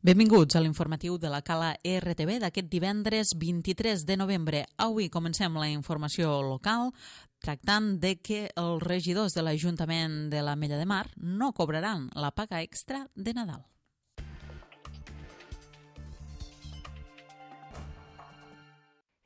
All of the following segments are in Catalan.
Benvinguts a l'informatiu de la Cala RTV d'aquest divendres 23 de novembre. Avui comencem la informació local tractant de que els regidors de l'Ajuntament de l'Ametlla de Mar no cobraran la paga extra de Nadal.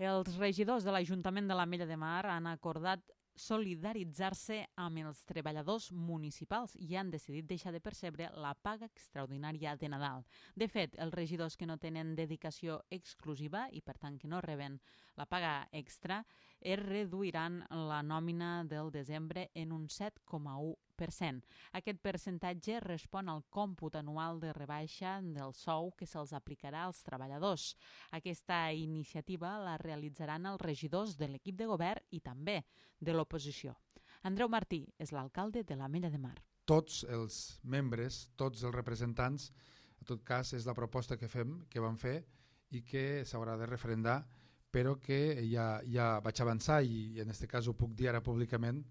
Els regidors de l'Ajuntament de l'Ametlla de Mar han acordat solidaritzar-se amb els treballadors municipals i han decidit deixar de percebre la paga extraordinària de Nadal. De fet, els regidors que no tenen dedicació exclusiva i per tant que no reben la paga extra es reduiran la nòmina del desembre en un 7,1%. Aquest percentatge respon al còmput anual de rebaixa del sou que se'ls aplicarà als treballadors. Aquesta iniciativa la realitzaran els regidors de l'equip de govern i també de l'oposició. Andreu Martí és l'alcalde de l'Ametlla de Mar. Tots els membres, tots els representants, en tot cas és la proposta que vam fer i que s'haurà de referendar, però que ja vaig avançar i en aquest cas ho puc dir ara públicament,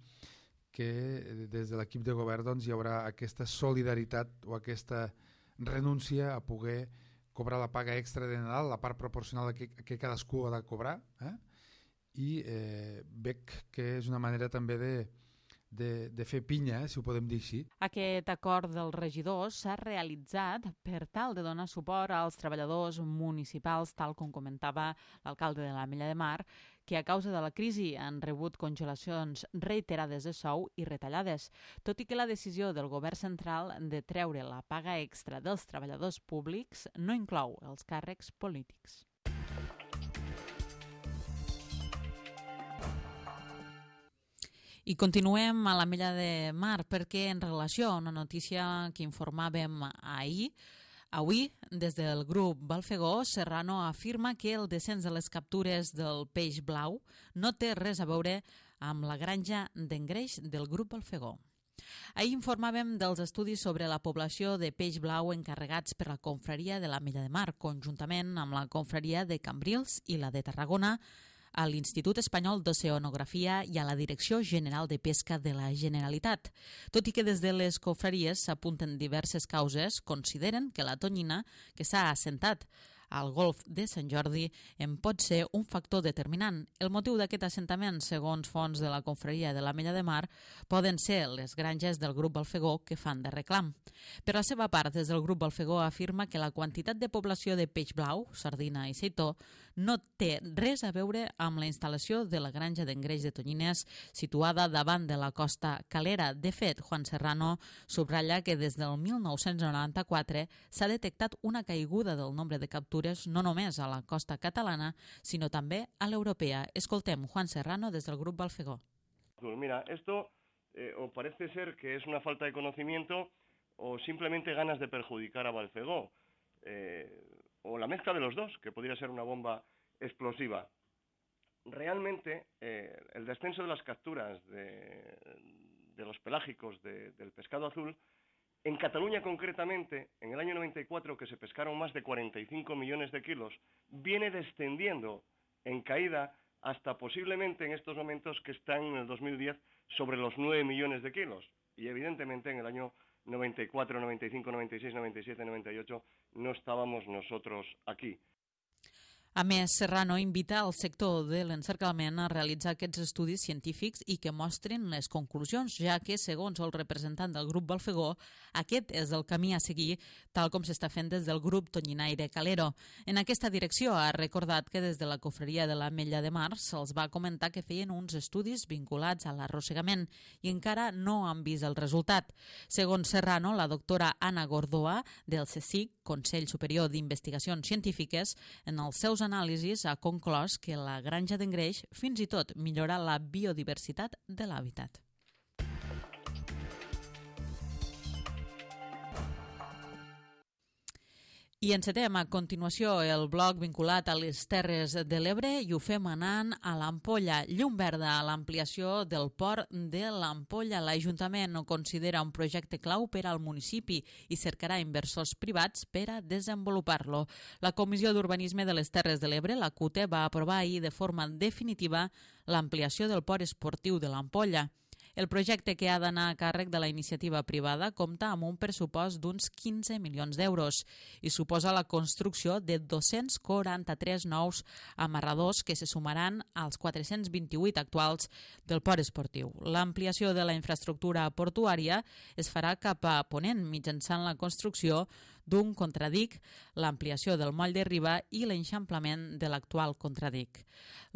que des de l'equip de govern hi haurà aquesta solidaritat o aquesta renúncia a poder cobrar la paga extra de Nadal, la part proporcional que cadascú ha de cobrar, i veig que és una manera també de fer pinya, si ho podem dir així. Aquest acord dels regidors s'ha realitzat per tal de donar suport als treballadors municipals, tal com comentava l'alcalde de l'Ametlla de Mar, que a causa de la crisi han rebut congelacions reiterades de sou i retallades, tot i que la decisió del govern central de treure la paga extra dels treballadors públics no inclou els càrrecs polítics. I continuem a l'Ametlla de Mar perquè en relació a una notícia que informàvem avui, des del grup Balfegó, Serrano afirma que el descens de les captures del peix blau no té res a veure amb la granja d'engreix del grup Balfegó. Ahir informàvem dels estudis sobre la població de peix blau encarregats per la confraria de l'Ametlla de Mar, conjuntament amb la confraria de Cambrils i la de Tarragona, a l'Institut Espanyol d'Oceanografia i a la Direcció General de Pesca de la Generalitat. Tot i que des de les confraries s'apunten diverses causes, consideren que la tonyina que s'ha assentat al golf de Sant Jordi en pot ser un factor determinant. El motiu d'aquest assentament, segons fonts de la confraria de l'Ametlla de Mar, poden ser les granges del grup Balfegó que fan de reclam. Per la seva part, des del grup Balfegó afirma que la quantitat de població de peix blau, sardina i seitó no té res a veure amb la instal·lació de la granja d'engreix de tonyines situada davant de la costa calera. De fet, Juan Serrano subratlla que des del 1994 s'ha detectat una caiguda del nombre de captures no només a la costa catalana, sinó també a l'europea. Escoltem Juan Serrano des del grup Balfegó. Mira, esto o parece ser que es una falta de conocimiento o simplemente ganas de perjudicar a Balfegó, o la mezcla de los dos, que podría ser una bomba explosiva. Realmente, el descenso de las capturas de los pelágicos del pescado azul, en Cataluña concretamente, en el año 94, que se pescaron más de 45 millones de kilos, viene descendiendo en caída hasta posiblemente en estos momentos que están en el 2010 sobre los 9 millones de kilos. Y evidentemente en el año 94, 95, 96, 97, 98 no estábamos nosotros aquí. A més, Serrano invita al sector de l'encerclament a realitzar aquests estudis científics i que mostrin les conclusions, ja que, segons el representant del grup Balfegó, aquest és el camí a seguir, tal com s'està fent des del grup Tonyinaire Calero. En aquesta direcció ha recordat que des de la confraria de l'Ametlla de Mar se'ls va comentar que feien uns estudis vinculats a l'arrossegament i encara no han vist el resultat. Segons Serrano, la doctora Anna Gordoa, del CSIC, Consell Superior d'Investigacions Científiques, en els seus anàlisis ha conclòs que la granja d'engreix fins i tot millora la biodiversitat de l'hàbitat. I encetem a continuació el bloc vinculat a les Terres de l'Ebre i ho fem anant a l'Ampolla. Llum verda a l'ampliació del port de l'Ampolla. L'Ajuntament ho considera un projecte clau per al municipi i cercarà inversors privats per a desenvolupar-lo. La Comissió d'Urbanisme de les Terres de l'Ebre, la CUTE, va aprovar ahir de forma definitiva l'ampliació del port esportiu de l'Ampolla. El projecte, que ha d'anar a càrrec de la iniciativa privada, compta amb un pressupost d'uns 15 milions d'euros i suposa la construcció de 243 nous amarradors que se sumaran als 428 actuals del port esportiu. L'ampliació de la infraestructura portuària es farà cap a ponent mitjançant la construcció d'un contradic, l'ampliació del moll de Riba i l'eixamplament de l'actual contradic.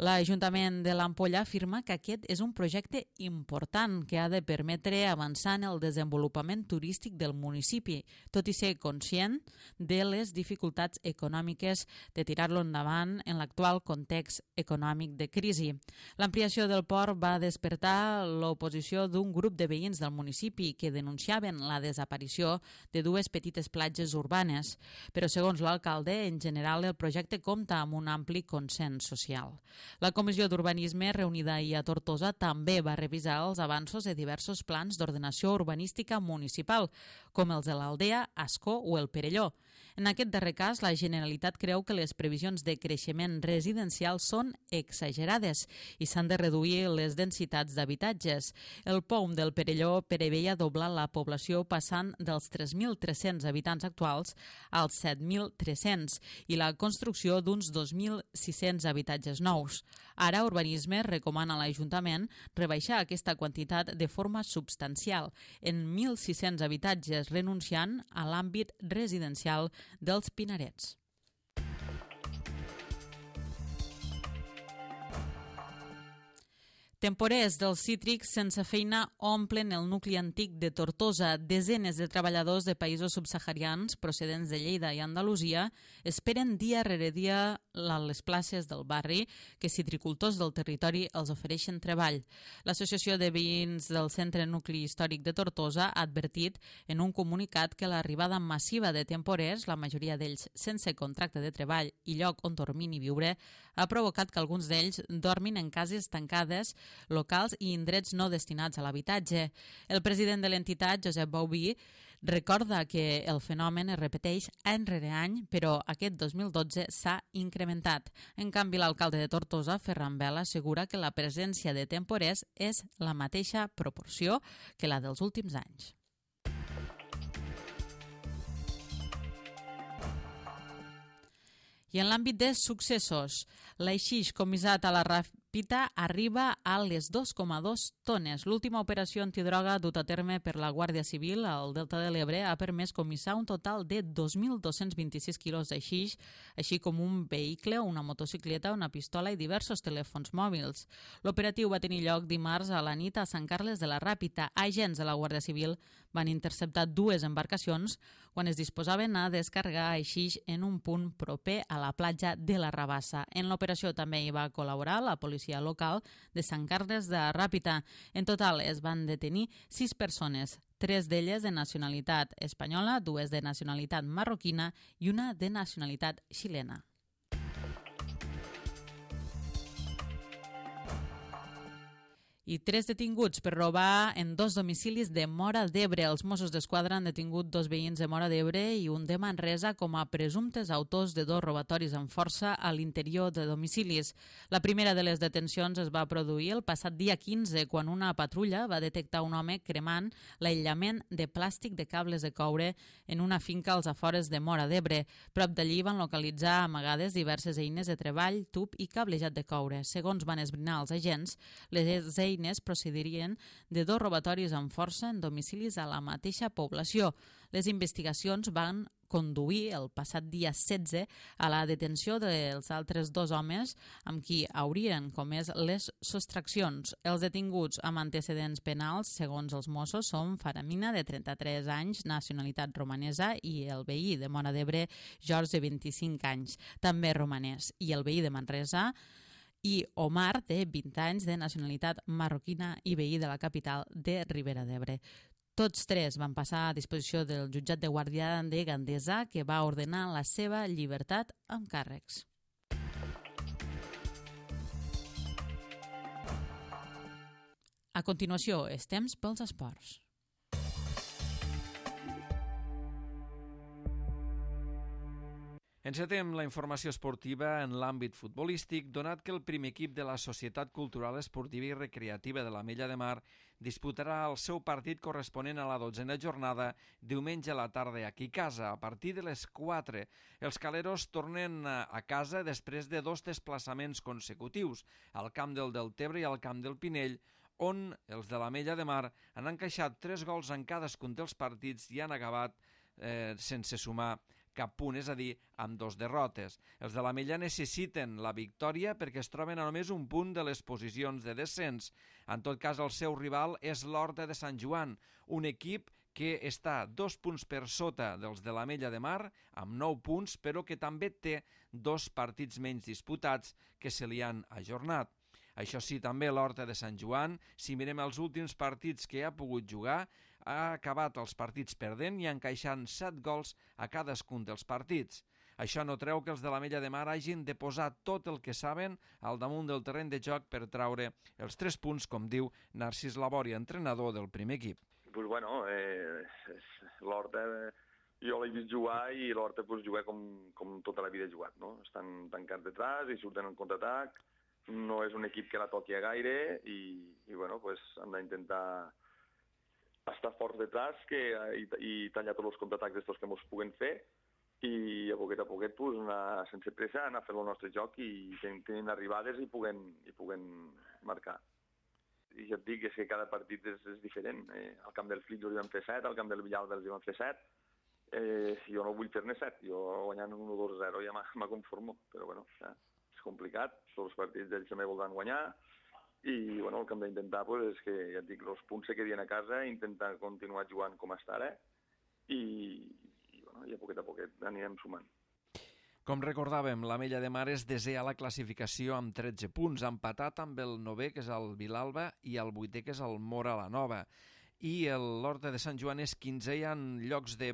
L'Ajuntament de l'Ampolla afirma que aquest és un projecte important que ha de permetre avançar en el desenvolupament turístic del municipi, tot i ser conscient de les dificultats econòmiques de tirar-lo endavant en l'actual context econòmic de crisi. L'ampliació del port va despertar l'oposició d'un grup de veïns del municipi que denunciaven la desaparició de dues petites platges urbanes, però segons l'alcalde, en general el projecte compta amb un ampli consens social. La Comissió d'Urbanisme, reunida ahir a Tortosa, també va revisar els avanços de diversos plans d'ordenació urbanística municipal, com els de l'Aldea, Ascó o el Perelló. En aquest darrer cas, la Generalitat creu que les previsions de creixement residencial són exagerades i s'han de reduir les densitats d'habitatges. El POUM del Perelló preveia doblar la població passant dels 3.300 habitants actuals als 7.300 i la construcció d'uns 2.600 habitatges nous. Ara, Urbanisme recomana a l'Ajuntament rebaixar aquesta quantitat de forma substancial en 1.600 habitatges, renunciant a l'àmbit residencial dels Pinarets. Temporers dels cítrics sense feina omplen el nucli antic de Tortosa. Desenes de treballadors de països subsaharians procedents de Lleida i Andalusia esperen dia rere dia a les places del barri que citricultors del territori els ofereixen treball. L'Associació de Veïns del Centre Nucli Històric de Tortosa ha advertit en un comunicat que l'arribada massiva de temporers, la majoria d'ells sense contracte de treball i lloc on dormir ni viure, ha provocat que alguns d'ells dormin en cases tancades, locals i indrets no destinats a l'habitatge. El president de l'entitat, Josep Bauví, recorda que el fenomen es repeteix any rere any, però aquest 2012 s'ha incrementat. En canvi, l'alcalde de Tortosa, Ferran Vela, assegura que la presència de temporers és la mateixa proporció que la dels últims anys. I en l'àmbit de successos, l'Aixix comissat a la Ràpita arriba a les 2,2 tones. L'última operació antidroga dut a terme per la Guàrdia Civil al Delta de l'Ebre ha permès comissar un total de 2.226 quilos d'Aixix, així com un vehicle, una motocicleta, una pistola i diversos telèfons mòbils. L'operatiu va tenir lloc dimarts a la nit a Sant Carles de la Ràpita. Agents de la Guàrdia Civil van interceptar dues embarcacions quan es disposaven a descarregar Aixix en un punt proper a la platja de la Rabassa. En l'operació també hi va col·laborar la policia local de Sant Carles de la Ràpita. En total es van detenir 6 persones, 3 d'elles de nacionalitat espanyola, 2 de nacionalitat marroquina i una de nacionalitat xilena. I 3 detinguts per robar en 2 domicilis de Móra d'Ebre. Els Mossos d'Esquadra han detingut 2 veïns de Móra d'Ebre i un de Manresa com a presumptes autors de 2 robatoris amb força a l'interior de domicilis. La primera de les detencions es va produir el passat dia 15, quan una patrulla va detectar un home cremant l'aïllament de plàstic de cables de coure en una finca als afores de Móra d'Ebre. Prop d'allí van localitzar amagades diverses eines de treball, tub i cablejat de coure. Segons van esbrinar els agents, les eines procedirien de 2 robatoris amb força en domicilis a la mateixa població. Les investigacions van conduir el passat dia 16 a la detenció dels altres 2 homes amb qui haurien comès les sostraccions. Els detinguts amb antecedents penals, segons els Mossos, són Faramina, de 33 anys, nacionalitat romanesa, i el veí de Móra d'Ebre, George, de 25 anys, també romanès, i el veí de Manresa, i Omar, de 20 anys, de nacionalitat marroquina i veí de la capital de Ribera d'Ebre. Tots 3 van passar a disposició del jutjat de guàrdia de Gandesa, que va ordenar la seva llibertat amb càrrecs. A continuació, és temps pels esports. Encetem la informació esportiva en l'àmbit futbolístic, donat que el primer equip de la Societat Cultural Esportiva i Recreativa de l'Ametlla de Mar disputarà el seu partit corresponent a la 12a jornada diumenge a la tarda aquí a casa, a partir de les 4. Els caleros tornen a casa després de 2 desplaçaments consecutius, al camp del Deltebre i al camp del Pinell, on els de l'Ametlla de Mar han encaixat 3 gols en cadascun dels partits i han acabat sense sumar cap punt, és a dir, amb 2 derrotes. Els de l'Ametlla necessiten la victòria perquè es troben a només un punt de les posicions de descens. En tot cas, el seu rival és l'Horta de Sant Joan, un equip que està 2 punts per sota dels de l'Ametlla de Mar, amb 9 punts, però que també té 2 partits menys disputats que se li han ajornat. Això sí, també l'Horta de Sant Joan, si mirem els últims partits que ha pogut jugar, ha acabat els partits perdent i encaixant 7 gols a cadascun dels partits. Això no treu que els de l'Ametlla de Mar hagin de posar tot el que saben al damunt del terreny de joc per traure els 3 punts, com diu Narcís Labòria, entrenador del primer equip. Pues bueno, l'Horta jo l'he vist jugar i l'Horta pues, juga com tota la vida ha jugat, no? Estan tancats detrás i surten en contraatac, no és un equip que la toqui a gaire i bueno, pues, han d'intentar estar forts detrás i tallar tots els contraatacs d'estos que ens puguen fer i a poquet pues, anar sense pressa, anar a fer el nostre joc i tenint arribades i puguen marcar. I ja et dic que cada partit és diferent. Al camp del Flic els vam fer 7, al camp del Villalba els vam fer 7. Jo no vull fer-ne 7, jo guanyant 1-2-0 ja me conformo, però bueno, ja, és complicat, tots els partits ells també voldran guanyar i bueno, el que hem d'intentar pues, és que, ja et dic, els punts se quedin a casa, intentar continuar jugant com està ara i a poquet anirem sumant. Com recordàvem, l'Ametlla de Mar és desè a la classificació amb 13 punts, empatat amb el 9è, que és el Vilalba, i el 8è, que és el Móra la Nova. I l'Horta de Sant Joan és 15è en llocs de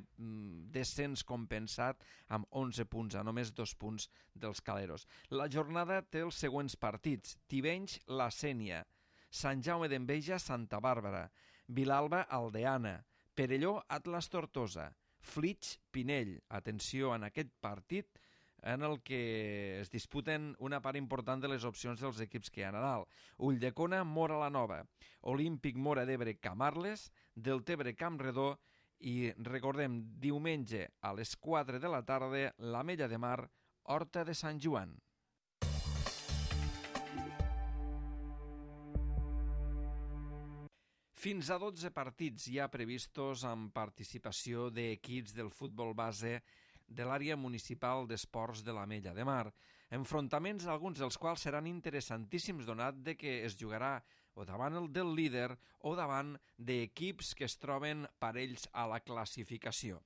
descens compensat amb 11 punts, a només 2 punts dels caleros. La jornada té els següents partits: Tivenys, La Sénia, Sant Jaume d'Enveja, Santa Bàrbara, Vilalba, Aldeana, Perelló, Atlas Tortosa, Flix, Pinell. Atenció en aquest partit en el que es disputen una part important de les opcions dels equips que hi ha a dalt. Ulldecona, Móra la Nova, Olímpic Móra d'Ebre, Camarles, Deltebre, Campredó i, recordem, diumenge a les 4 de la tarda, l'Ametlla de Mar, Horta de Sant Joan. Fins a 12 partits hi ha previstos amb participació d'equips del futbol base de l'àrea municipal d'esports de l'Ametlla de Mar. Enfrontaments, alguns dels quals seran interessantíssims donat de que es jugarà o davant el del líder o davant d'equips que es troben parells a la classificació.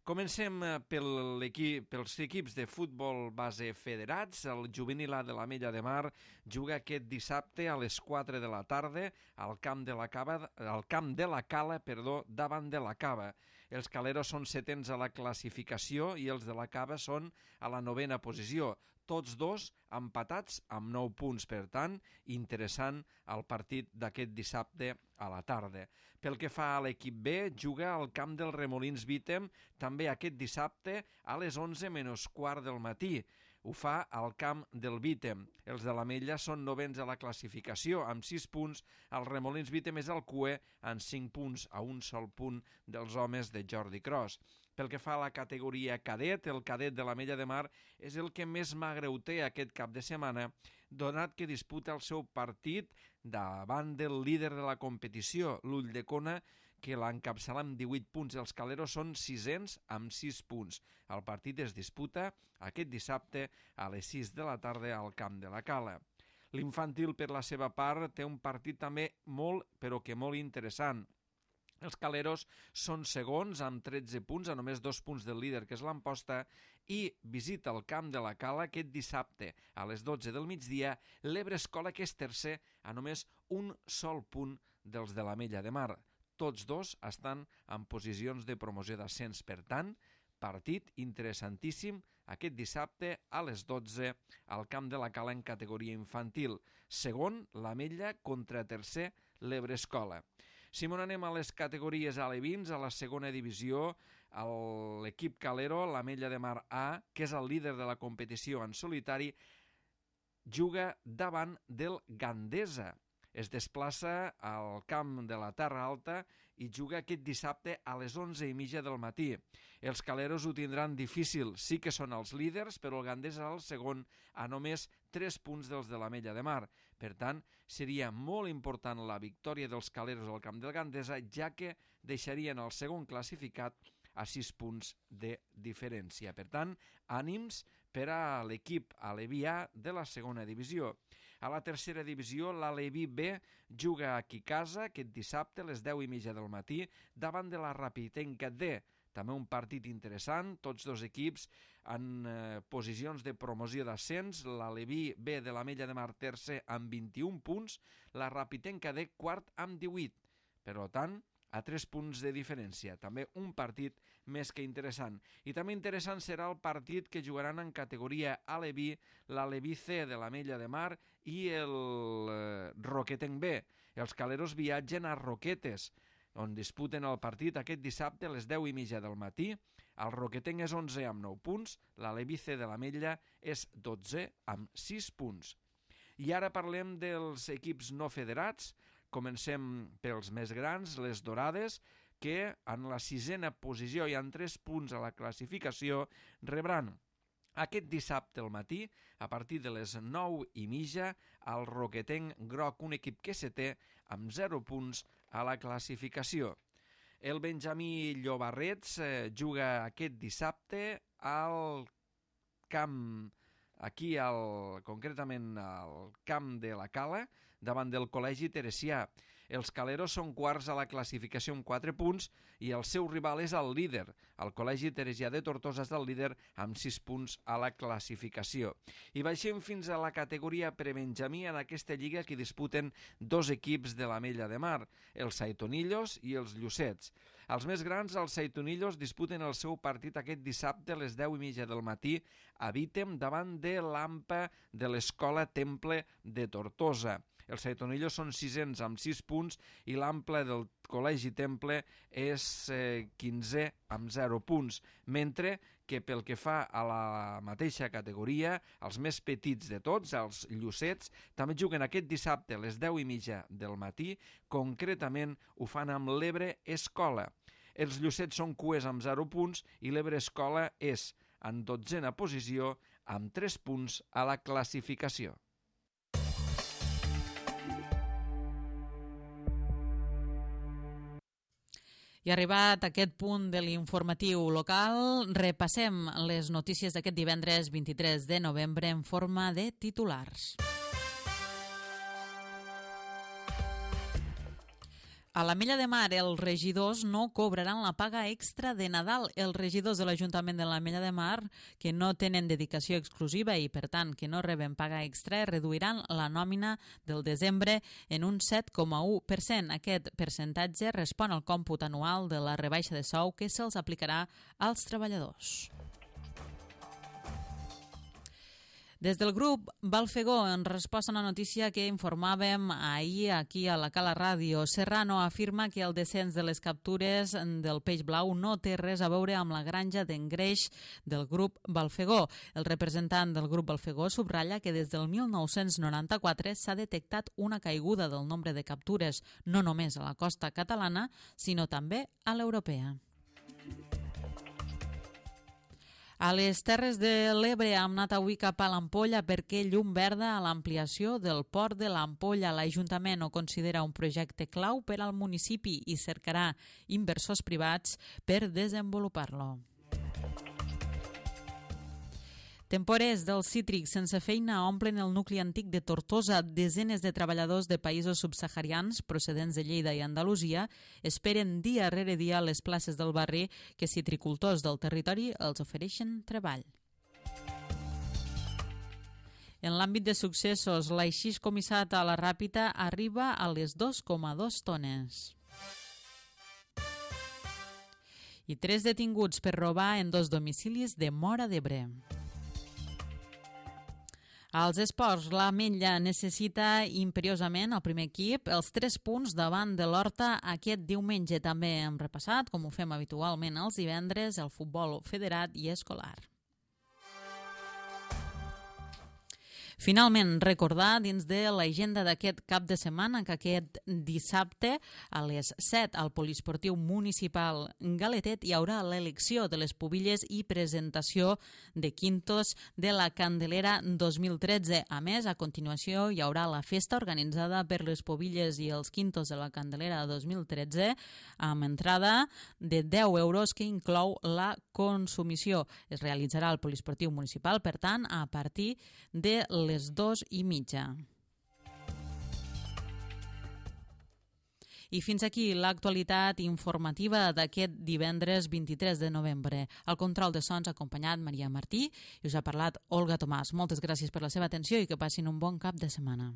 Comencem pels equips de futbol base federats. El juvenil A de l'Ametlla de Mar juga aquest dissabte a les 4 de la tarda al camp de la Cala, davant de la Cava. Els caleros són 7ens a la classificació i els de la Cava són a la 9a posició. Tots dos empatats amb 9 punts, per tant, interessant el partit d'aquest dissabte a la tarda. Pel que fa a l'equip B, juga al camp del Remolins Vítem també aquest dissabte a les 11 menys quart del matí. Ho fa al camp del Vítem. Els de l'Ametlla són 9ens a la classificació, amb 6 punts. El Remolins Vítem és el cuer amb 5 punts, a un sol punt dels homes de Jordi Cros. Pel que fa a la categoria cadet, el cadet de l'Ametlla de Mar és el que més magreu té aquest cap de setmana, donat que disputa el seu partit davant del líder de la competició, l'Ulldecona, que l'encapçala amb 18 punts. Els caleros són 6ens amb 6 punts. El partit es disputa aquest dissabte a les 6 de la tarda al camp de la Cala. L'infantil, per la seva part, té un partit també molt, però que molt interessant. Els caleros són segons amb 13 punts, a només 2 punts del líder, que és l'Amposta, i visita el camp de la Cala aquest dissabte a les 12 del migdia l'Ebre Escola, que és tercer, a només un sol punt dels de l'Ametlla de Mar. Tots dos estan en posicions de promoció d'ascens, per tant, partit interessantíssim aquest dissabte a les 12 al camp de la Cala en categoria infantil. Segon, l'Ametlla contra tercer, l'Ebre Escola. Si m'on anem a les categories alevins, a la segona divisió, l'equip calero, l'Ametlla de Mar A, que és el líder de la competició en solitari, juga davant del Gandesa. es desplaça al camp de la Terra Alta i juga aquest dissabte a les 11:30 del matí. Els caleros ho tindran difícil, sí que són els líders, però el Gandesa és el segon a només 3 punts dels de l'Ametlla de Mar. Per tant, seria molt important la victòria dels caleros al camp del Gandesa, ja que deixarien el segon classificat a 6 punts de diferència. Per tant, ànims per a l'equip aleví A de la segona divisió. A la tercera divisió, l'Aleví B juga aquí a casa aquest dissabte a les 10:30 del matí davant de la Rapitenca D. També un partit interessant, tots dos equips en posicions de promoció d'ascens, l'Aleví B de l'Ametlla de Mar tercer amb 21 punts, la Rapitenca D quart amb 18. Per tant, a 3 punts de diferència. També un partit més que interessant. I també interessant serà el partit que jugaran en categoria Aleví, l'Aleví C de l'Ametlla de Mar i el Roquetenc B. Els caleros viatgen a Roquetes, on disputen el partit aquest dissabte a les 10:30 del matí. El Roquetenc és 11 amb 9 punts, l'Aleví C de l'Ametlla és 12 amb 6 punts. I ara parlem dels equips no federats. Comencem pels més grans, les Dorades, que en la 6a posició i en 3 punts a la classificació rebran aquest dissabte al matí, a partir de les 9:30, el Roquetenc Groc, un equip que se té amb 0 punts a la classificació. El Benjamí Llobarrets juga aquest dissabte al camp, concretament al camp de la Cala, davant del Col·legi Teresià. Els caleros són quarts a la classificació amb 4 punts i el seu rival és el líder. El Col·legi Teresià de Tortosa és el líder amb 6 punts a la classificació. I baixem fins a la categoria prebenjamí en aquesta lliga que disputen 2 equips de l'Ametlla de Mar, els Saitonillos i els Llucets. Els més grans, els Saitonillos, disputen el seu partit aquest dissabte a les 10:30 del matí a Vítem davant de l'AMPA de l'Escola Temple de Tortosa. Els Saitonillos són 6ens amb 6 punts i l'Ample del Col·legi Temple és 15 amb 0 punts, mentre que pel que fa a la mateixa categoria, els més petits de tots, els Llucets, també juguen aquest dissabte a les 10:30 del matí, concretament ho fan amb l'Ebre Escola. Els Llucets són cuers amb 0 punts i l'Ebre Escola és en 12a posició amb 3 punts a la classificació. I arribat a aquest punt de l'informatiu local, repassem les notícies d'aquest divendres 23 de novembre en forma de titulars. A l'Ametlla de Mar, els regidors no cobraran la paga extra de Nadal. Els regidors de l'Ajuntament de l'Ametlla de Mar, que no tenen dedicació exclusiva i, per tant, que no reben paga extra, reduiran la nòmina del desembre en un 7,1%. Aquest percentatge respon al còmput anual de la rebaixa de sou que se'ls aplicarà als treballadors. Des del grup Balfegó, en resposta a una notícia que informàvem ahir aquí a la Cala Ràdio, Serrano afirma que el descens de les captures del peix blau no té res a veure amb la granja d'engreix del grup Balfegó. El representant del grup Balfegó subratlla que des del 1994 s'ha detectat una caiguda del nombre de captures, no només a la costa catalana, sinó també a l'europea. A les Terres de l'Ebre hem anat avui cap a l'Ampolla perquè llum verda a l'ampliació del port de l'Ampolla. L'Ajuntament ho considera un projecte clau per al municipi i cercarà inversors privats per desenvolupar-lo. Temporers dels cítrics sense feina omplen el nucli antic de Tortosa. Desenes de treballadors de països subsaharians procedents de Lleida i Andalusia esperen dia rere dia les places del barri que citricultors del territori els ofereixen treball. En l'àmbit de successos, l'aixís comissat a la Ràpita arriba a les 2,2 tones. I 3 detinguts per robar en 2 domicilis de Móra d'Ebre. Als esports, l'Ametlla necessita imperiosament el primer equip els 3 punts davant de l'Horta aquest diumenge. També hem repassat, com ho fem habitualment els divendres, el futbol federat i escolar. Finalment, recordar dins de l'agenda d'aquest cap de setmana que aquest dissabte a les 7 al Poliesportiu Municipal Galetet hi haurà l'elecció de les pubilles i presentació de quintos de la Candelera 2013. A més, a continuació hi haurà la festa organitzada per les pubilles i els quintos de la Candelera 2013 amb entrada de 10 euros que inclou la consumició. Es realitzarà al Poliesportiu Municipal, per tant, a partir de les 2:30. I fins aquí l'actualitat informativa d'aquest divendres 23 de novembre. Al control de sons ha acompanyat Maria Martí i us ha parlat Olga Tomàs. Moltes gràcies per la seva atenció i que passin un bon cap de setmana.